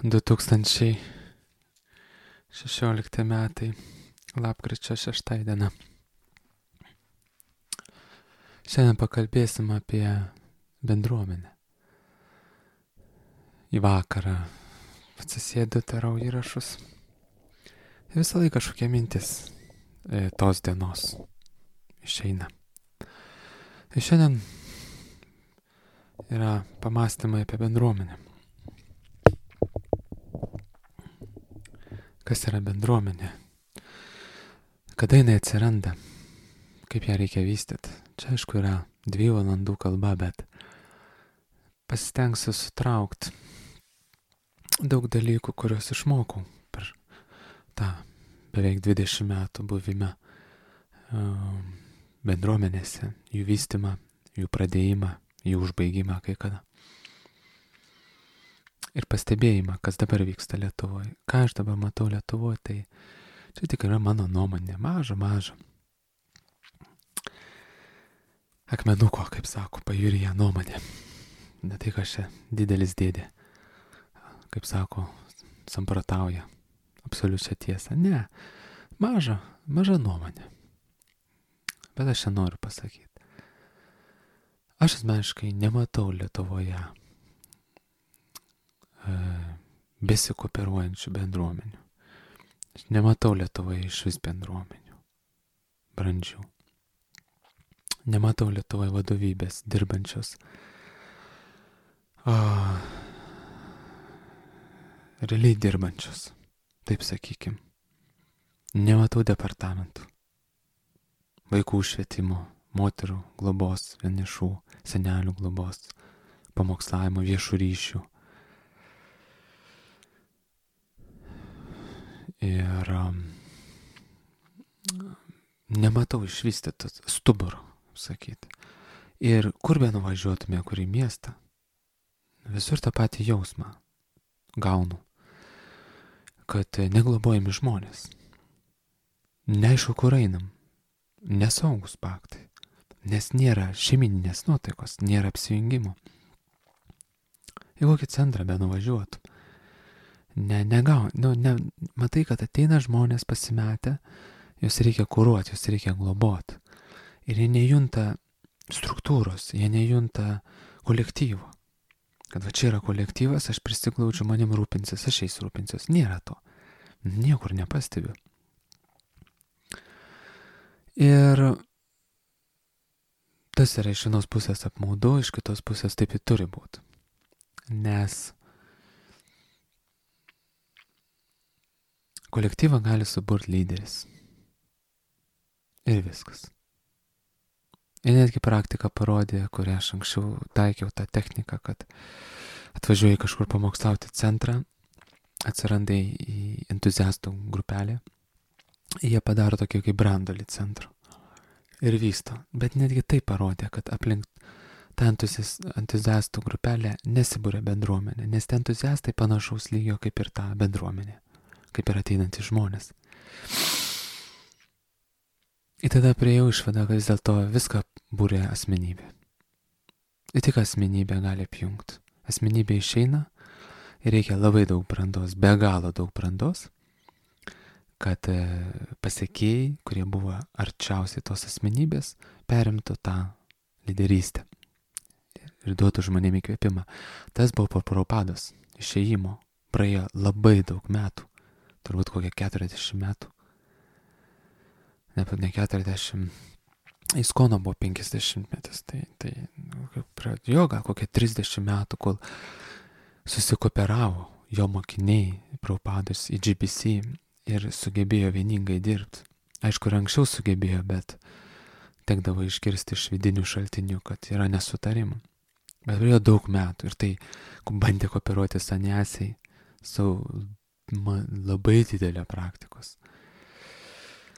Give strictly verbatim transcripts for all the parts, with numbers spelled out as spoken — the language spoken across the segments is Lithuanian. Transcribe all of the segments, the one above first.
du tūkstančiai šešiolikti metai, lapkričio šešta diena. Šiandien pakalbėsim apie bendruomenę. Į vakarą atsisėdu, darau įrašus. Ir visą laiką kažkokia mintis e, tos dienos išeina. Ir šiandien yra pamastymai apie bendruomenę. Kas yra bendruomenė? Kada jinai atsiranda? Kaip ją reikia vystyti? Čia aišku yra dviejų valandų kalba, bet pasistengsiu sutraukti daug dalykų, kuriuos išmokau per tą beveik dvidešimt metų buvimą bendruomenėse, jų vystymą, jų pradėjimą, jų užbaigimą kai kada. Ir pastebėjimą, kas dabar vyksta Lietuvoje. Ką aš dabar matau Lietuvoje, tai čia tik yra mano nuomonė, maža, maža. Akmenuko, kaip sako, pajūryje nuomonė. Ne tai, kad čia didelis dėdė, kaip sako, samprotauja absoliučią tiesą. Ne, maža, maža nuomonė. Bet aš čia noriu pasakyti. Aš asmeniškai nematau Lietuvoje e, besikooperuojančių bendruomenių. Aš nematau Lietuvoje iš vis bendruomenių brandžių. Nematau Lietuvoje vadovybės dirbančios o, realiai dirbančios, taip sakykim. Nematau departamentų, vaikų švietimo, moterų globos, vienišų, senelių globos, pamokslavimo, viešų ryšių. Ir um, nematau išvystytos stuburo, sakyti. Ir kur be nuvažiuotume, kur į miestą, visur tą patį jausmą gaunu, kad neglobojami žmonės. Neaišku, kur einam, nesaugus paktai, nes nėra šeimininės nuotaikos, nėra apsijungimo. Į kokį centrą be nuvažiuotum, ne, negau, nu, ne, matai, kad ateina žmonės pasimetę, juos reikia kuruoti, juos reikia globoti. Ir jie nejunta struktūros, jie nejunta kolektyvo. Kad va čia yra kolektyvas, aš prisiglaučiu, manim rūpinsis, aš jais rūpinsiuos. Nėra to. Niekur nepastebiu. Ir tas yra iš vienos pusės apmaudu, iš kitos pusės taip ir turi būti. Nes kolektyvą gali suburti lyderis. Ir viskas. Ir netgi praktika parodė, kurią aš anksčiau taikiau tą techniką, kad atvažiuoji kažkur pamokslauti centrą, atsirandai į entuziastų grupelę, jie padaro tokį kaip brandolį centro ir vysto. Bet netgi tai parodė, kad aplink tą entuziastų grupelę nesibūrė bendruomenė, nes tie entuziastai panašaus lygio kaip ir ta bendruomenė, kaip ir ateinantys žmonės. Ir tada priejau išvadą, kad vis dėlto viską būrė asmenybė. Ir tik asmenybė gali apjungti. Asmenybė išeina ir reikia labai daug brandos, be galo daug brandos, kad pasekėjai, kurie buvo arčiausiai tos asmenybės, perimtų tą lyderystę ir duotų žmonėm įkvėpimą. Tas buvo po Prabhupados išėjimo. Praėjo labai daug metų, turbūt kokie keturiasdešimt metų. Ne, ne keturiasdešimt, Iskono buvo penkiasdešimt metais, tai, tai pradėjo gal kokie trisdešimt metų, kol susikooperavo jo mokiniai Prabhupados į G B C ir sugebėjo vieningai dirbti. Aišku, ir anksčiau sugebėjo, bet tekdavo išgirsti iš vidinių šaltinių, kad yra nesutarimų. Bet praėjo daug metų ir tai bandė kooperuoti saniasiai su ma, labai didelio praktikos.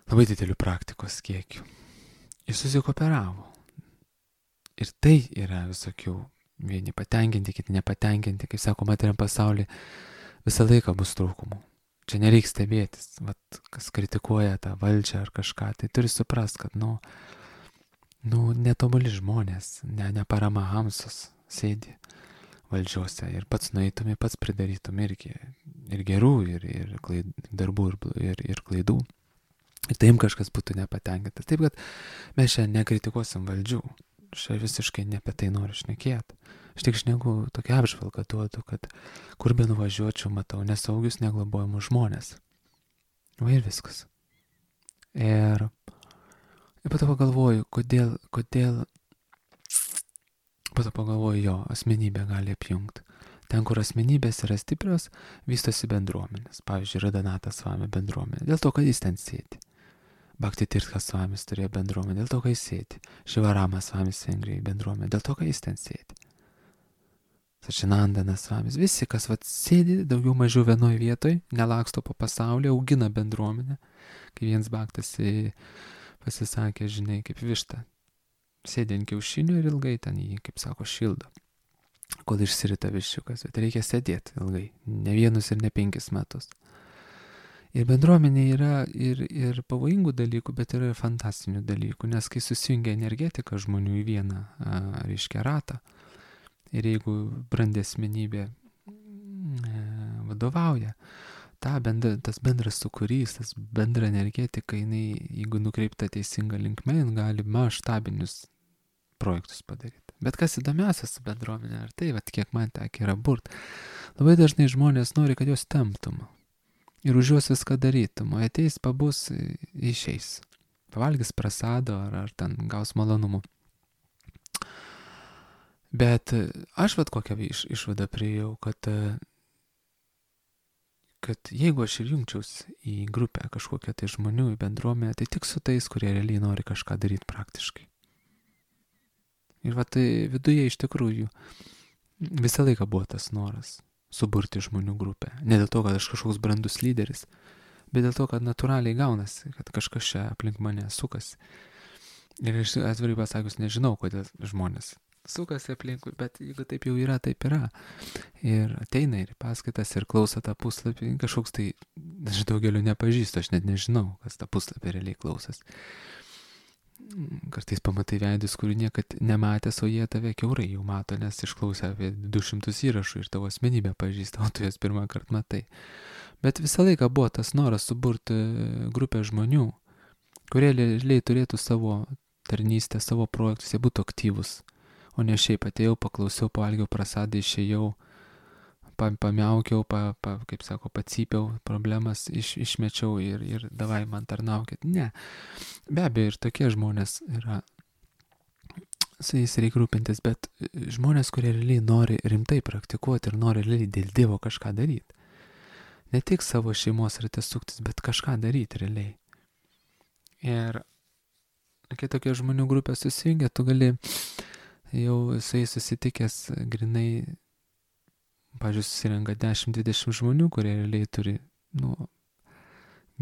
Labai dideliu praktikos kiekiu. Jis susikooperavo. Ir tai yra visokių, vieni patenkinti, kiti nepatenkinti, kaip sako, materiam pasaulyje visą laiką bus trūkumų. Čia nereikia stebėtis, vat, kas kritikuoja tą valdžią ar kažką, tai turi suprast, kad, nu, nu netobuli žmonės, ne, ne paramahamsus sėdi, valdžiose ir pats nueitum, ir pats pridarytum irgi ir gerų, ir, ir klaid, darbų, ir, ir, ir klaidų. Ir taim kažkas būtų nepatenkintas. Taip, kad mes šiandien nekritikuosim valdžių. Čia visiškai ne apie tai noriu šnekėti. Aš tik šneku tokią apžvalgą duodu, kad kur be nuvažiuočiau, matau nesaugius, neglobojamus žmonės. Va ir viskas. Ir, ir po to pagalvoju, kodėl, kodėl, po to pagalvoju, jo, asmenybė gali apjungti. Ten, kur asmenybės yra stiprios, vystosi bendruomenės. Pavyzdžiui, Radhanata Swami bendruomenė. Dėl to, kad jis ten sėdi. Bhakti Tirtha Swamis turėjo bendruomenę. Dėl to, kad jis sėdi. Shivarama Swamis Vengrijai bendruomenė. Dėl to, kad jis ten sėdi. Sačinandana Swamis. Visi, kas vat sėdi daugiau mažiau vienoje vietoje, nelaksto po pasaulį, augina bendruomenę. Kai vienas bhaktas pasisakė, žinai, kaip višta. Sėdi ant kiaušinių ir ilgai ten jį, kaip sako, šildo. Kol išsirita viščiukas, bet reikia sėdėti ilgai, ne vienus ir ne penkis metus. Ir bendruomenė yra ir, ir pavojingų dalykų, bet yra ir fantastinių dalykų, nes kai susijungia energetika žmonių į vieną, a, reiškia, ratą, ir jeigu brandi asmenybė e, vadovauja, ta bendra, tas bendras sukūrys, tas bendra energetika, jinai, jeigu nukreipta teisinga linkme, jin gali maštabinius projektus padaryti. Bet kas įdomiausia su bendruomenė, ar tai, vat, kiek man tekia yra burt, labai dažnai žmonės nori, kad juos temptum ir už juos viską darytum, o ateis, pabus, išeis. Pavalgys prasado ar, ar ten gaus malonumų. Bet aš vat kokią iš, išvadą priėjau, kad, kad jeigu aš ir jungčiaus į grupę kažkokią tai žmonių, į bendruomenę, tai tik su tais, kurie realiai nori kažką daryti praktiškai. Ir va tai viduje iš tikrųjų visą laiką buvo tas noras suburti žmonių grupę. Ne dėl to, kad aš kažkoks brandus lyderis, bet dėl to, kad natūraliai gaunasi, kad kažkas čia aplink mane sukasi. Ir aš atvirai pasakius nežinau, kodėl žmonės sukasi aplinkui, bet jeigu taip jau yra, taip yra. Ir ateina ir paskaitas ir klauso tą puslapį, kažkoks tai, aš daugelio nepažįstu, aš net nežinau, kas tą puslapį realiai klausas. Kartais pamatai veidus, kurių niekad nematęs, o jie tave kiaurai jau mato, nes išklausė apie du šimtus įrašų ir tavo asmenybę pažįsta, o tu jas pirmą kartą matai. Bet visą laiką buvo tas noras suburti grupę žmonių, kurie realiai turėtų savo tarnystę, savo projektus, jie būtų aktyvus, o ne šiaip atėjau, paklausiau, pavalgiau prasadą, išėjau, pamiaukiau, pa, pa, kaip sako, pacypiau, problemas iš, išmečiau ir, ir davai man tarnaukit. Ne. Be abejo, ir tokie žmonės yra, su jais reikia rūpintis, bet žmonės, kurie realiai nori rimtai praktikuoti ir nori realiai dėl Dievo kažką daryti. Ne tik savo šeimos rate suktis, bet kažką daryti realiai. Ir kai tokie žmonių grupė susijungia, tu gali jau su jais susitikęs grinai, pavyzdžiui, susirenka dešimt dvidešimt žmonių, kurie realiai turi, nu,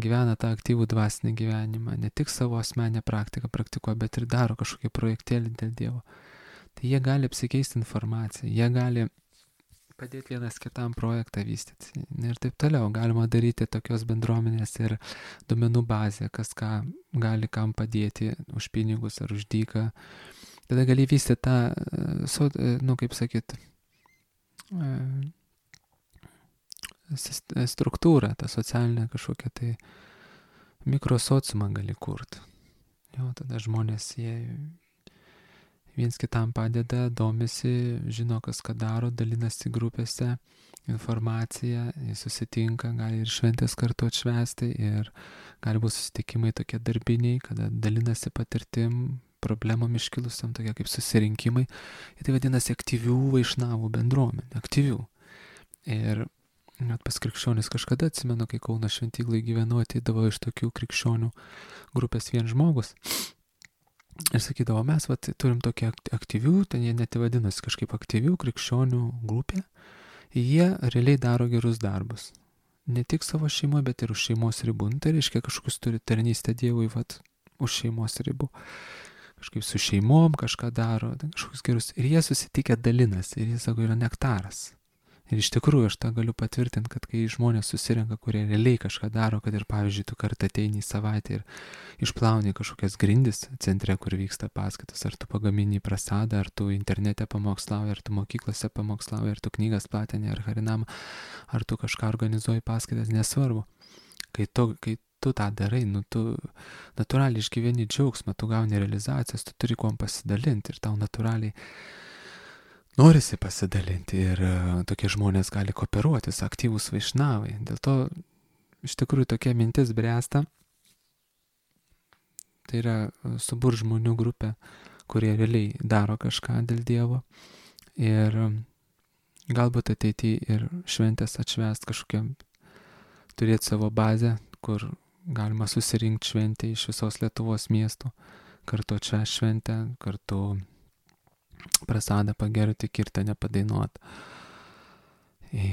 gyvena tą aktyvų dvasinį gyvenimą, ne tik savo asmenę praktiką praktikuoja, bet ir daro kažkokį projektėlį dėl Dievo. Tai jie gali apsikeisti informaciją, jie gali padėti vienas kitam projektą vystyti ir taip toliau. Galima daryti tokios bendruomenės ir duomenų bazę, kas ką gali kam padėti už pinigus ar už dyką. Tada gali vystyti tą, nu, kaip sakyt, struktūrą, tą socialinę kažkokią tai mikrosociumą gali kurti. Jo, tada žmonės, jie viens kitam padeda, domisi, žino, kas ką daro, dalinasi grupėse informaciją, jie susitinka, gali ir šventės kartu atšvęsti ir gali būti susitikimai tokie darbiniai, kada dalinasi patirtim, problemom iškilusiam, tokie kaip susirinkimai. Ir tai vadinasi aktyvių vaišnavų bendruomenė, aktyvių. Ir net pas krikščionis kažkada atsimenu, kai Kauno šventyklai gyvenau, ateidavo iš tokių krikščionių grupės vien žmogus. Ir sakydavo, mes vat, turim tokią aktyvių, ten jie net vadinasi kažkaip aktyvių krikščionių grupė. Jie realiai daro gerus darbus. Ne tik savo šeimoje, bet ir už šeimos ribų. Tai reiškia, kažkokius turi tarnystę Dievui, vat, už šeimos ribų. Kažkaip su šeimom kažką daro, kažkokius gerus. Ir jie susitikę dalinasi. Ir jie sako, yra nektaras. Ir iš tikrųjų aš tą galiu patvirtinti, kad kai žmonės susirenka, kurie realiai kažką daro, kad ir pavyzdžiui, tu kartą ateini į savaitę ir išplauni kažkokias grindis centre, kur vyksta paskaitos, ar tu pagamini prasadą, ar tu internete pamokslauji, ar tu mokyklose pamokslauji, ar tu knygas platini, ar harinamą, ar tu kažką organizuoji paskaitas, nesvarbu. Kai tu, kai tu tą darai, nu tu natūraliai išgyveni džiaugsmą, tu gauni realizacijas, tu turi kuom pasidalinti ir tau natūraliai norisi pasidalinti ir uh, tokie žmonės gali kooperuotis, aktyvūs vaišnavai. Dėl to iš tikrųjų tokia mintis bręsta. Tai yra subur žmonių grupė, kurie realiai daro kažką dėl Dievo. Ir um, galbūt ateityje ir šventės atšvęst kažkokiam, turėti savo bazę, kur galima susirinkti šventę iš visos Lietuvos miestų, kartu atšvęst šventę, kartu prasadą pagerti, kirtą nepadainuot.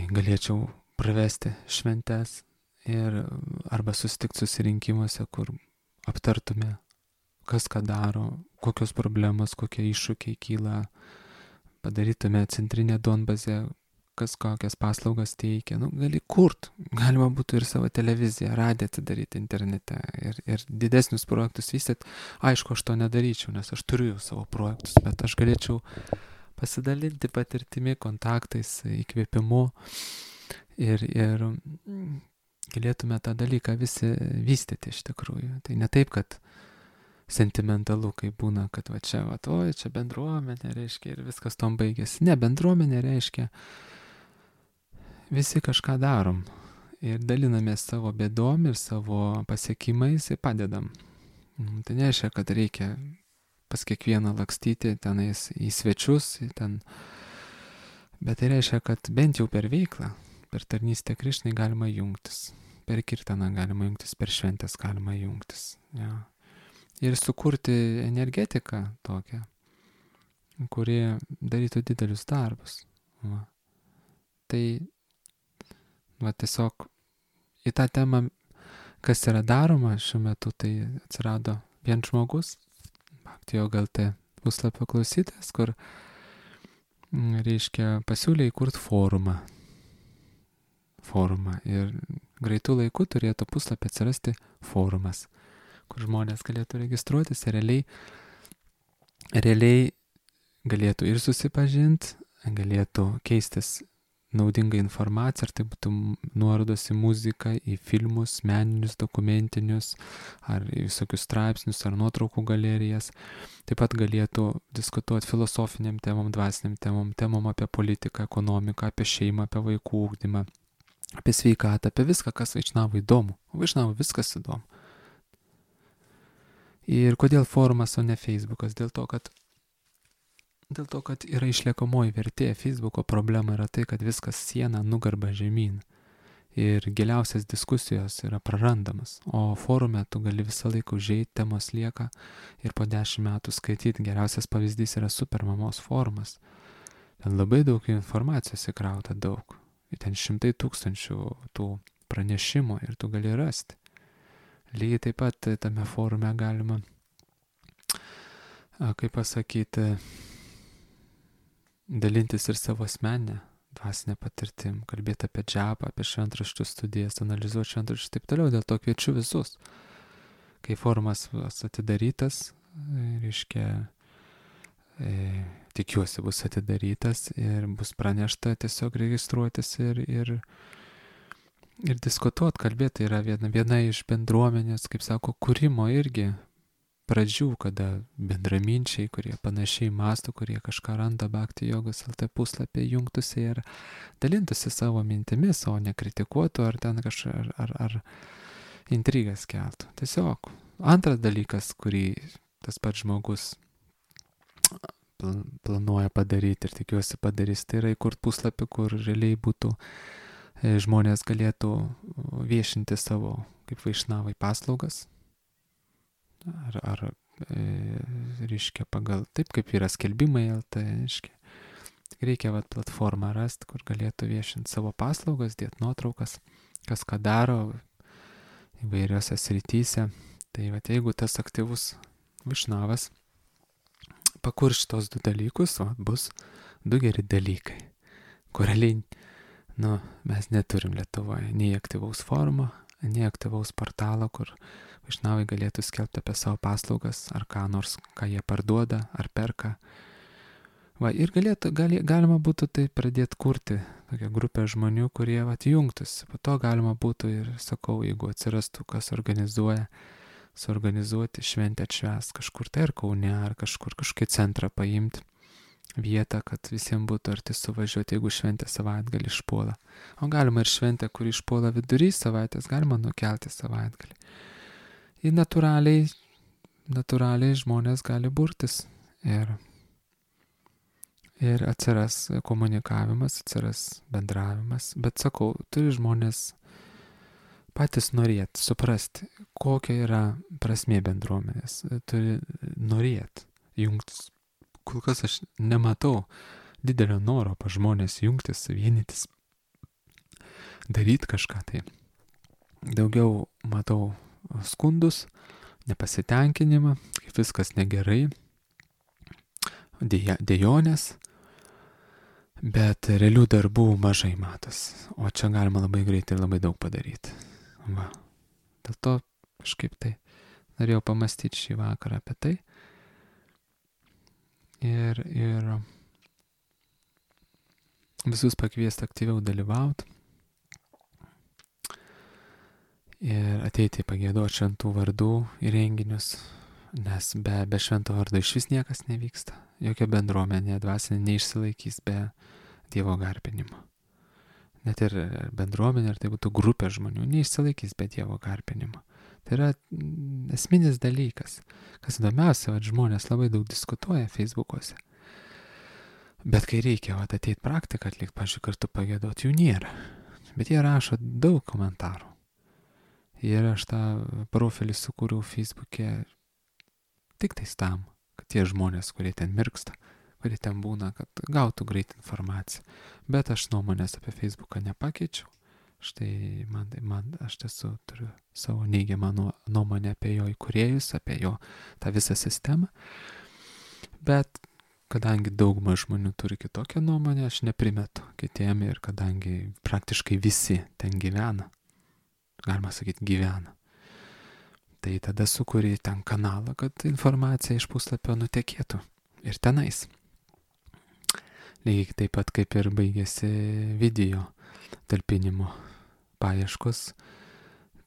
Galėčiau pravesti šventes ir arba susitikti susirinkimuose, kur aptartume, kas ką daro, kokios problemos, kokie iššūkiai kyla, padarytume centrinę duonbazę, kas kokias paslaugas teikia. Nu, gali kurt, galima būtų ir savo televiziją, radiją atidaryti internete ir, ir didesnius projektus vystyti. Aišku, aš to nedaryčiau, nes aš turiu savo projektus, bet aš galėčiau pasidalinti patirtimi, kontaktais, įkvėpimu ir, ir galėtume tą dalyką visi vystyti iš tikrųjų. Tai ne taip, kad sentimentalu, kai būna, kad va čia, va, oi, čia bendruomenė reiškia ir viskas tom baigėsi. Ne, bendruomenė reiškia visi kažką darom ir dalinamės savo bėdom ir savo pasiekimais ir padedam. Tai nereiškia, kad reikia pas kiekvieną lakstyti tenais į svečius, ten. Bet tai reiškia, kad bent jau per veiklą, per tarnystę Krišnai galima jungtis, per kirtaną galima jungtis, per šventės galima jungtis. Ja. Ir sukurti energetiką tokią, kuri darytų didelius darbus. Va. Tai va, tiesiog į tą temą, kas yra daroma šiuo metu, tai atsirado vien žmogus, Bhakti Yoga L T puslapio klausytojas, kur, reiškia, pasiūlė įkurti forumą. Forumą. Ir greitų laikų turėtų puslapį atsirasti forumas, kur žmonės galėtų registruotis ir realiai, realiai galėtų ir susipažinti, galėtų keistis naudinga informacija, ar tai būtų nuorodos į muziką, į filmus, meninius, dokumentinius, ar į visokius straipsnius, ar nuotraukų galerijas. Taip pat galėtų diskutuoti filosofiniam temom, dvasiniam temom, temom apie politiką, ekonomiką, apie šeimą, apie vaikų ugdymą, apie sveikatą, apie viską, kas vaišnavui įdomu. Vaišnavui viskas įdomu. Ir kodėl forumas, o ne Facebookas? Dėl to, kad Dėl to, kad yra išliekamoji vertė. Facebooko problema yra tai, kad viskas siena nugarba žemyn. Ir giliausias diskusijos yra prarandamas. O forume tu gali visą laiką užeiti, temos lieka ir po dešimt metų skaityti. Geriausias pavyzdys yra Supermamos forumas. Ten labai daug informacijos įkrauta daug. Ten šimtai tūkstančių tų pranešimų ir tu gali rasti. Lygiai taip pat tame forume galima, kaip pasakyti, dalintis ir savo asmeninę dvasinę patirtim, kalbėti apie džapą, apie šventraščių studijas, analizuoti šventraščius ir taip toliau. Dėl to kviečiu visus. Kai forumas atidarytas, reiškia, e, tikiuosi bus atidarytas ir bus pranešta tiesiog registruotis ir, ir, ir diskutuoti, kalbėti. Tai yra viena, viena iš bendruomenės, kaip sako, kūrimo irgi pradžių, kada bendraminčiai, kurie panašiai mąsto, kurie kažką randa Bhakti Jogos L T puslapį, jungtųsi ir dalintųsi savo mintimis, o ne kritikuotų ar ten kažką, ar, ar, ar intrigas keltų. Tiesiog. Antras dalykas, kurį tas pats žmogus planuoja padaryti ir tikiuosi padarys, tai yra įkurt puslapį, kur realiai būtų, žmonės galėtų viešinti savo, kaip vaišnavai, paslaugas. Ar, ar e, reiškia pagal, taip kaip yra skelbimai L T, reiškia. Reikia vat, platformą rasti, kur galėtų viešinti savo paslaugas, dėti nuotraukas, kas ką daro įvairiose srityse. Tai vat, jeigu tas aktyvus vaišnavas pakurs šitos du dalykus, vat, bus du geri dalykai, kur realiai Nu, mes neturim Lietuvoje nei aktyvaus forumo, nei aktyvaus portalo, kur vaišnavai galėtų skelbti apie savo paslaugas, ar ką nors, ką jie parduoda, ar perka. Va, ir galėtų, gali, galima būtų tai pradėti kurti, tokią grupę žmonių, kurie atjungtųsi. Po to galima būtų ir, sakau, jeigu atsirastų, kas organizuoja, suorganizuoti šventę atšvęs kažkur tai ar Kaune, ar kažkur kažkokį centrą paimti vietą, kad visiems būtų arti suvažiuoti, jeigu šventė savaitgalį išpuola. O galima ir šventę, kuri išpuola vidury savaitės, galima nukelti savaitgalį. Ir natūraliai, natūraliai žmonės gali burtis ir Ir atsiras komunikavimas, atsiras bendravimas. Bet sakau, turi žmonės patys norėti, suprasti, kokia yra prasmė bendruomenės. Turi norėti jungtis. Kol kas aš nematau didelio noro pa žmonės jungtis, vienytis, daryti kažką tai. Daugiau matau skundus, nepasitenkinimą, kaip viskas negerai, dėja, dėjonės. Bet realių darbų mažai matos, o čia galima labai greitai ir labai daug padaryti. Va. Dėl to kažkaip tai norėjau pamastyti šį vakarą apie tai. Ir, ir visus pakviesti aktyviau dalyvauti. Ir ateiti pagėduoti šventų vardų į renginius, nes be, be švento vardo iš vis niekas nevyksta. Jokia bendruomenė dvasinė neišsilaikys be Dievo garbinimo. Net ir bendruomenė, ar tai būtų grupė žmonių, neišsilaikys be Dievo garbinimo. Tai yra esminis dalykas. Kas įdomiausia, kad žmonės labai daug diskutuoja Facebookuose. Bet kai reikia vat, ateiti praktiką atlikti, pavyzdžiui, kartu pagėduoti, jų nėra. Bet jie rašo daug komentarų. Ir aš tą profilį sukūriau Facebook'e tik tais tam, kad tie žmonės, kurie ten mirksta, kurie ten būna, kad gautų greit informaciją. Bet aš nuomonės apie Facebooką nepakeičiau. Štai man, man aš tiesiog turiu savo neigiamą nuomonę apie jo įkūrėjus, apie jo tą visą sistemą. Bet kadangi dauguma žmonių turi kitokią nuomonę, aš neprimetu kitiem ir kadangi praktiškai visi ten gyvena, galima sakyti gyvena, tai tada sukuri ten kanalą, kad informacija iš puslapio nutekėtų ir tenais. Lygiai taip pat kaip ir baigėsi video talpinimo paieškos,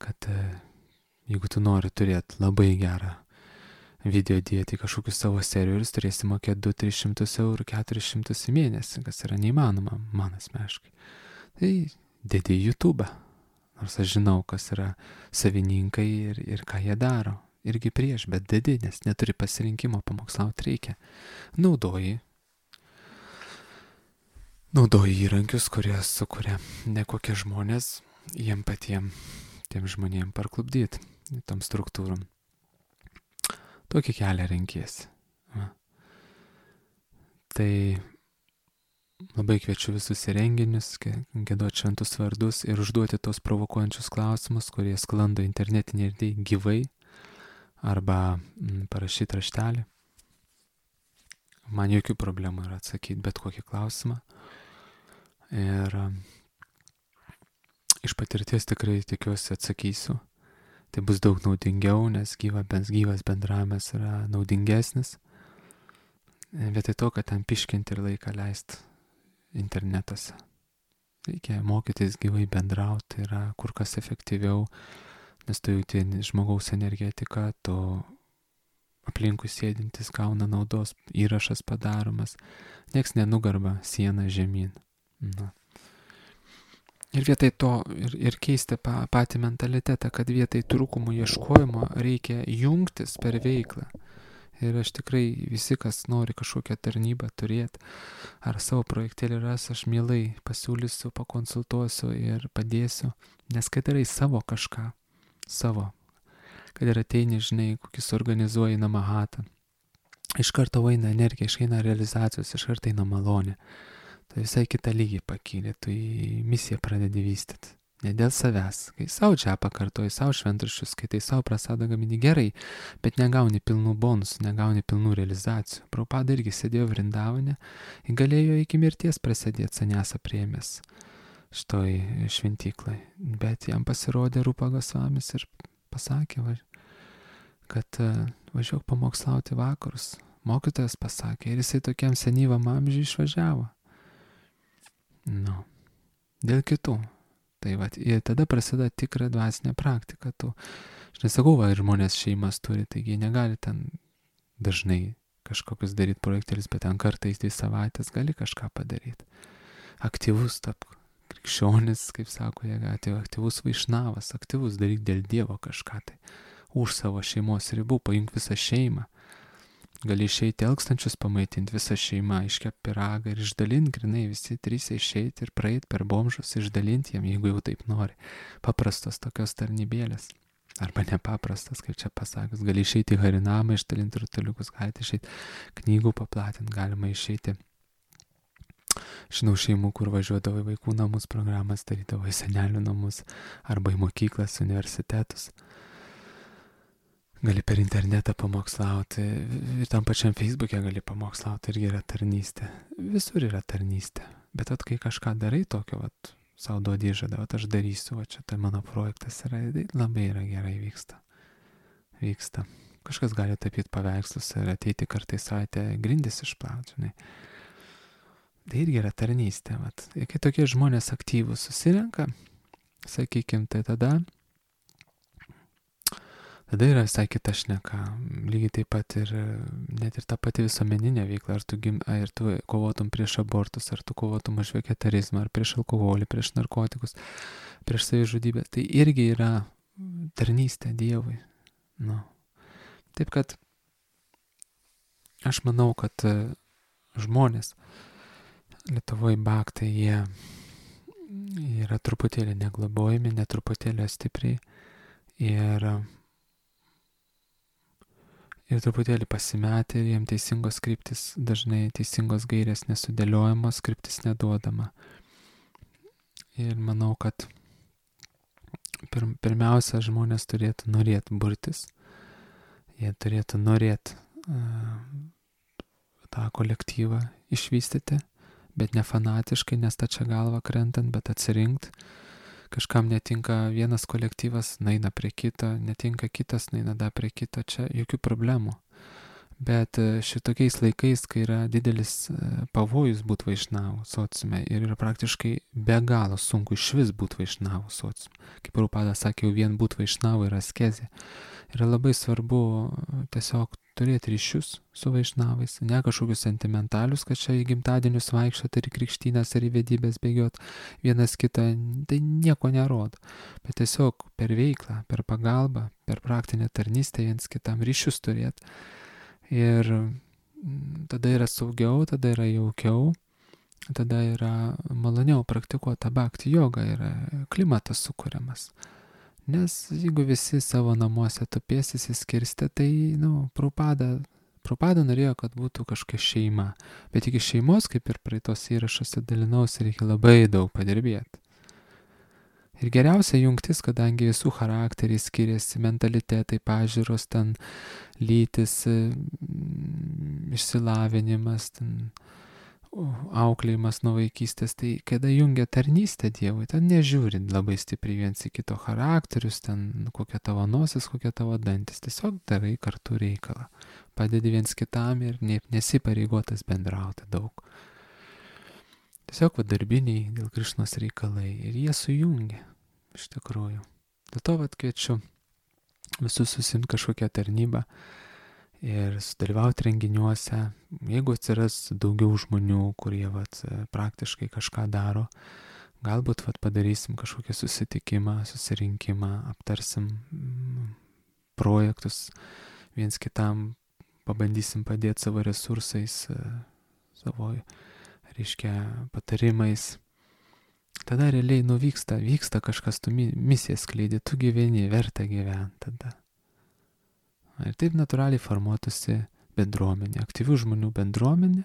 kad jeigu tu nori turėti labai gerą video dėti kažkokius savo serverius, turėsi mokėti du tris šimtus eurų, keturis šimtus į mėnesį, kas yra neįmanoma man asmeniškai. Tai dėdi į YouTube. Nors aš žinau, kas yra savininkai ir, ir ką jie daro. Irgi prieš, bet dėdi, nes neturi pasirinkimo, pamokslauti reikia. Naudoji. Naudoji įrankius, kurie sukuria ne kokie žmonės, jiem patiem, tiem žmonėm parklubdyti, tom struktūrom. Tokį kelią renkiesi. Va. Tai labai kviečiu visus į renginius, giedoti šventus vardus ir užduoti tos provokuojančius klausimus, kurie sklando internetinėje erdvėje gyvai, arba m, parašyti raštelį. Man jokių problemų yra atsakyti bet kokį klausimą. Ir iš patirties tikrai tikiuosi atsakysiu. Tai bus daug naudingiau, nes gyva, gyvas bendravimas yra naudingesnis. Vietoj to, kad ten piškinti ir laiką leisti internetuose. Reikia mokytis gyvai bendrauti, yra kur kas efektyviau, nes tu jauti žmogaus energetiką, tu aplinkui sėdintis gauna naudos, įrašas padaromas, nieks nenugarba sieną žemyn. Na. Ir vietoj to ir, ir keisti pa, patį mentalitetą, kad vietoj trūkumų ieškojimo reikia jungtis per veiklą. Ir aš tikrai visi, kas nori kažkokią tarnybą turėti, ar savo projektėlį ras, aš mielai pasiūlysiu, pakonsultuosiu ir padėsiu, nes kai darai savo kažką, savo, kad ir ateini, žinai, kokį suorganizuoji namahatą, iš karto eina energija, išeina realizacijos, iš karto eina malonė. Tai visai kitą lygį pakylė, tu į misiją pradedi vystyti. Ne dėl savęs, kai savo čia pakartoji, savo šventraščius, kai tai savo prasadą gamini gerai, bet negauni pilnų bonusų, negauni pilnų realizacijų. Prabhupada irgi sėdėjo Vrindavane, galėjo iki mirties prasidėti sanjasą priėmęs. šitoj šventyklai. Bet jam pasirodė Rupa Gosvamis ir pasakė, va, kad važiuok pamokslauti vakarus. Mokytojas pasakė ir jisai tokiam senyvam amžiui išvažiavo. Nu, dėl kitų. Tai va, ir tada prasideda tikra dvasinė praktika. Tu, aš nesakau, va, ir žmonės šeimas turi, taigi negali ten dažnai kažkokius daryti projektėlis, bet ten kartais dvi savaitės gali kažką padaryti. Aktyvus tapk. Krikščionis, kaip sako, jie atėjo aktyvus vaišnavas, aktyvus daryk dėl Dievo kažką tai. Už savo šeimos ribų, paimk visą šeimą. Gali išeiti elkstančius pamaitinti visą šeimą, iškep piragą ir išdalinti, grinai visi trys išeiti ir praeiti per bomžus, išdalinti jiem, jeigu jau taip nori. Paprastos tokios tarnybėlės. Arba nepaprastas, kaip čia pasakius. Gali išeiti į harinamą, išdalinti rutuliukus, galite išeiti knygų paplatinti, galima išeiti. Žinau šeimų, kur važiuodavo į vaikų namus programas, darydavo į senelių namus arba į mokyklas, universitetus. Gali per internetą pamokslauti ir tam pačiam Facebook'e gali pamokslauti, irgi yra tarnystė. Visur yra tarnystė. Bet at kai kažką darai tokio, vat, savo duodi žadą, vat aš darysiu, va čia tai mano projektas yra, labai yra gerai vyksta. Vyksta. Kažkas gali tapyti paveikslus ir ateiti kartais savaitę grindis išplauti, žinai. Tai irgi yra tarnystė. Vat. Ir kai tokie žmonės aktyvūs susirenka, sakykim, tai tada, tada yra visai kita šneka. Lygiai taip pat ir net ir ta pati visuomeninė veikla, ar tu, gim, ar tu kovotum prieš abortus, ar tu kovotum už vegetarizmą, ar prieš alkoholį, prieš narkotikus, prieš savižudybę, tai irgi yra tarnystė Dievui. Nu. Taip kad aš manau, kad žmonės Lietuvoje baktai, jie yra truputėlį neglobojami, netruputėlį stipriai ir, ir truputėlį pasimetę ir jiems teisingos kryptis, dažnai teisingos gairės nesudėliojamos, kryptis neduodama. Ir manau, kad pir, pirmiausia, žmonės turėtų norėti burtis, jie turėtų norėti uh, tą kolektyvą išvystyti, bet ne fanatiškai, nes tačia galva krentant, bet atsirinkt. Kažkam netinka vienas kolektyvas, naina prie kito, netinka kitas, naina da prie kito, čia jokių problemų. Bet šitokiais laikais, kai yra didelis pavojus būti vaišnavų sociume ir yra praktiškai be galo sunku iš vis būti vaišnavų sociume. Kaip Prabhupada sakė, jau vien būti vaišnavų yra askezė. Yra labai svarbu tiesiog turėti ryšius su vaišnavais, ne kažkokius sentimentalius, kad čia į gimtadienius vaikščiot ar į krikštynas ar į vedybės bėgiot vienas kitą, tai nieko nerodo. Bet tiesiog per veiklą, per pagalbą, per praktinę tarnystę viens kitam ryšius turėti. Ir tada yra saugiau, tada yra jaukiau, tada yra maloniau praktikuota bhakti joga, yra klimatas sukuriamas. Nes jeigu visi savo namuose tupėsis įskirstę, tai, nu, Prabhupada, Prabhupada norėjo, kad būtų kažkokia šeima. Bet iki šeimos, kaip ir praeitos įrašuose dalinausi, reikia labai daug padirbėti. Ir geriausia jungtis, kadangi visų charakteriai skiriasi, mentalitetai, pažiūros, ten lytis, išsilavinimas, ten auklėjimas nuo vaikystės, tai kada jungia tarnystę Dievui, ten nežiūrint labai stipriai viens į kito charakterius, ten kokia tavo nosis, kokia tavo dantis, tiesiog darai kartu reikalą. Padedi viens kitam ir nesipareigotas bendrauti daug. Tiesiog va darbiniai dėl Krišnos reikalai ir jie sujungia, iš tikrųjų. Dėl to va kviečiu visus susimti kažkokią tarnybą ir sudalyvauti renginiuose. Jeigu atsiras daugiau žmonių, kurie vat, praktiškai kažką daro, galbūt vat, padarysim kažkokį susitikimą, susirinkimą, aptarsim projektus viens kitam, pabandysim padėti savo resursais, savo, reiškia, patarimais. Tada realiai nuvyksta, vyksta kažkas, tu misiją skleidi, tu gyveni, verta gyventi tada. Ir taip natūraliai formuotųsi bendruomenė, aktyvių žmonių bendruomenė,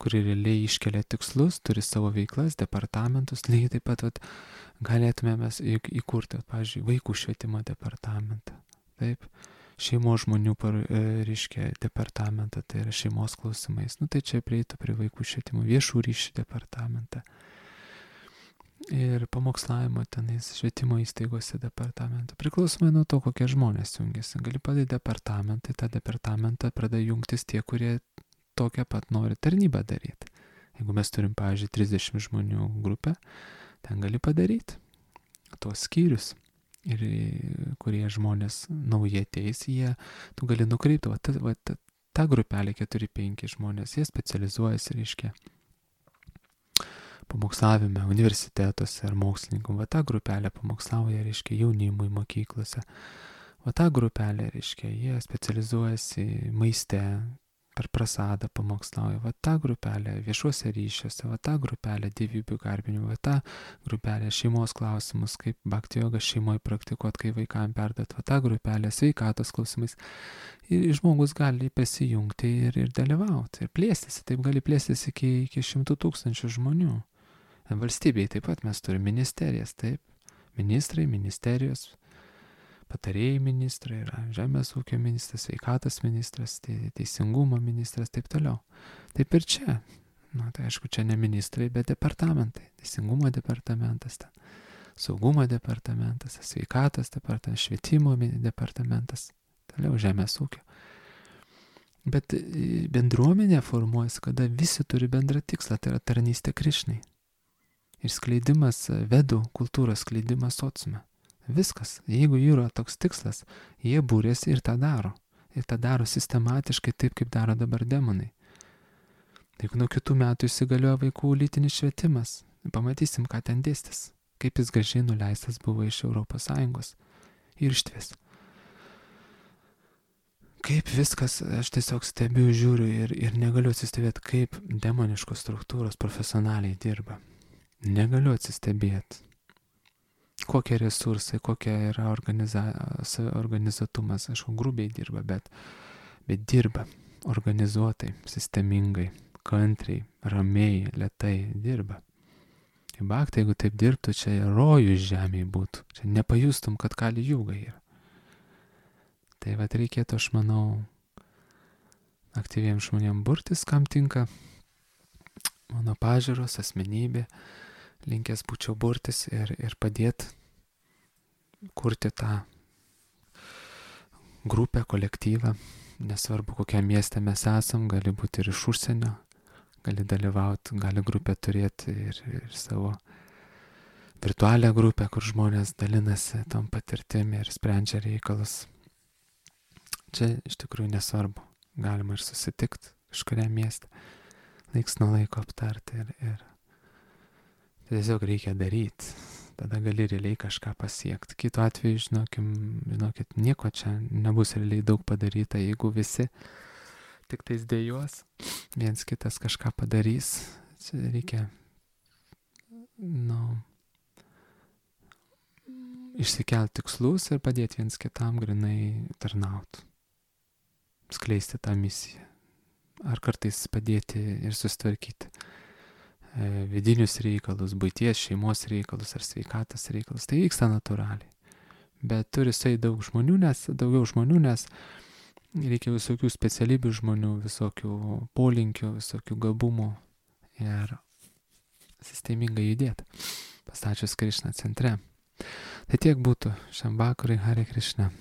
kuri realiai iškelia tikslus, turi savo veiklas, departamentus. Lygiai taip pat vat, galėtume mes įkurti, pavyzdžiui, vaikų švietimo departamentą. Taip, šeimos žmonių, par, reiškia, departamentą, tai yra šeimos klausimais. Nu tai čia prieitų prie vaikų švietimo, viešų ryšių departamentą. ir pamokslavimo tenais švietimo įstaigose departamento. Priklausomai nuo to, kokie žmonės jungiasi. Gali padaryti departamentą, tą departamentą pradeda jungtis tie, kurie tokią pat nori tarnybą daryti. Jeigu mes turim, pavyzdžiui, trisdešimt žmonių grupę, ten gali padaryti tuos skyrius. Ir kurie žmonės naujai ateis, jie, tu gali nukreipti, va, ta, va, ta, ta grupelė keturi penki žmonės, jie specializuojasi, reiškia, pamokslavime universitetuose ar mokslininkų. Va ta grupelė pamokslauja, reiškia, jaunimui mokyklose. Va ta grupelė, reiškia, jie specializuojasi maiste, per prasadą pamokslauja. Va ta grupelė viešuose ryšiuose, va ta grupelė dievybių garbinimo, va ta grupelė šeimos klausimus, kaip bhakti jogą šeimoje praktikuot, kai vaikam perduot, va ta grupelė sveikatos klausimais. Ir žmogus gali prisijungti ir, ir dalyvauti, ir plėstis, taip gali plėstis iki, iki šimtų tūkstančių žmonių. Valstybėje taip pat mes turime ministerijas, taip, ministrai, ministerijos, patarėjai ministrai, yra žemės ūkio ministras, sveikatos ministras, teisingumo ministras, taip toliau. Taip ir čia. Na, tai aišku, čia ne ministrai, bet departamentai. Teisingumo departamentas, ten, saugumo departamentas, sveikatos departamentas, švietimo departamentas, toliau žemės ūkio. Bet bendruomenė formuojasi, kada visi turi bendrą tikslą, tai yra tarnystė Krišnai. Ir skleidimas vedų, kultūros skleidimas sociume. Viskas. Jeigu yra toks tikslas, jie būrėsi ir tą daro. Ir tą daro sistematiškai taip, kaip daro dabar demonai. Jeigu nuo kitų metų įsigalioja vaikų lytinis švietimas, pamatysim, ką ten dėstis. Kaip jis gražiai nuleistas buvo iš Europos Sąjungos. Ir ištves. Kaip viskas, aš tiesiog stebiu, žiūriu ir, ir negaliu atsistebėti, kaip demoniškos struktūros profesionaliai dirba. Negaliu atsistebėti. Kokie resursai, kokia yra organiza, organizuotumas, aišku, grubiai dirba, bet, bet dirba organizuotai, sistemingai, kantriai, ramiai, lėtai dirba. Tai bhakti, jeigu taip dirbtų, čia rojus žemėje būtų, čia nepajustum, kad kali jūga yra. Tai vat reikėtų, aš manau, aktyviems žmonėms burtis, kam tinka mano pažiūros, asmenybė, linkęs būčiau burtis ir, ir padėti kurti tą grupę, kolektyvą. Nesvarbu, kokiam mieste mes esam, gali būti ir iš užsienio, gali dalyvauti, gali grupę turėti ir, ir savo virtualią grupę, kur žmonės dalinasi tom patirtimi ir sprendžia reikalus. Čia iš tikrųjų nesvarbu, galima ir susitikti kažkuriam mieste, laiks nuo laiko aptarti ir, ir tiesiog reikia daryti, tada gali realiai kažką pasiekti. Kitu atveju, žinokim, žinokit, nieko čia nebus realiai daug padaryta, jeigu visi tik tais dėjos, viens kitas kažką padarys. Čia reikia, nu, išsikelti tikslus ir padėti viens kitam grinai tarnauti, skleisti tą misiją. Ar kartais padėti ir susitvarkyti vidinius reikalus, buities, šeimos reikalus ar sveikatos reikalus. Tai vyksta natūraliai. Bet turi jisai daug žmonių, nes, daugiau žmonių, nes reikia visokių specialybių žmonių, visokių polinkių, visokių gabumų ir sistemingai judėti, pastačius Krišną centre. Tai tiek būtų šiam vakarui. Hare Krishna.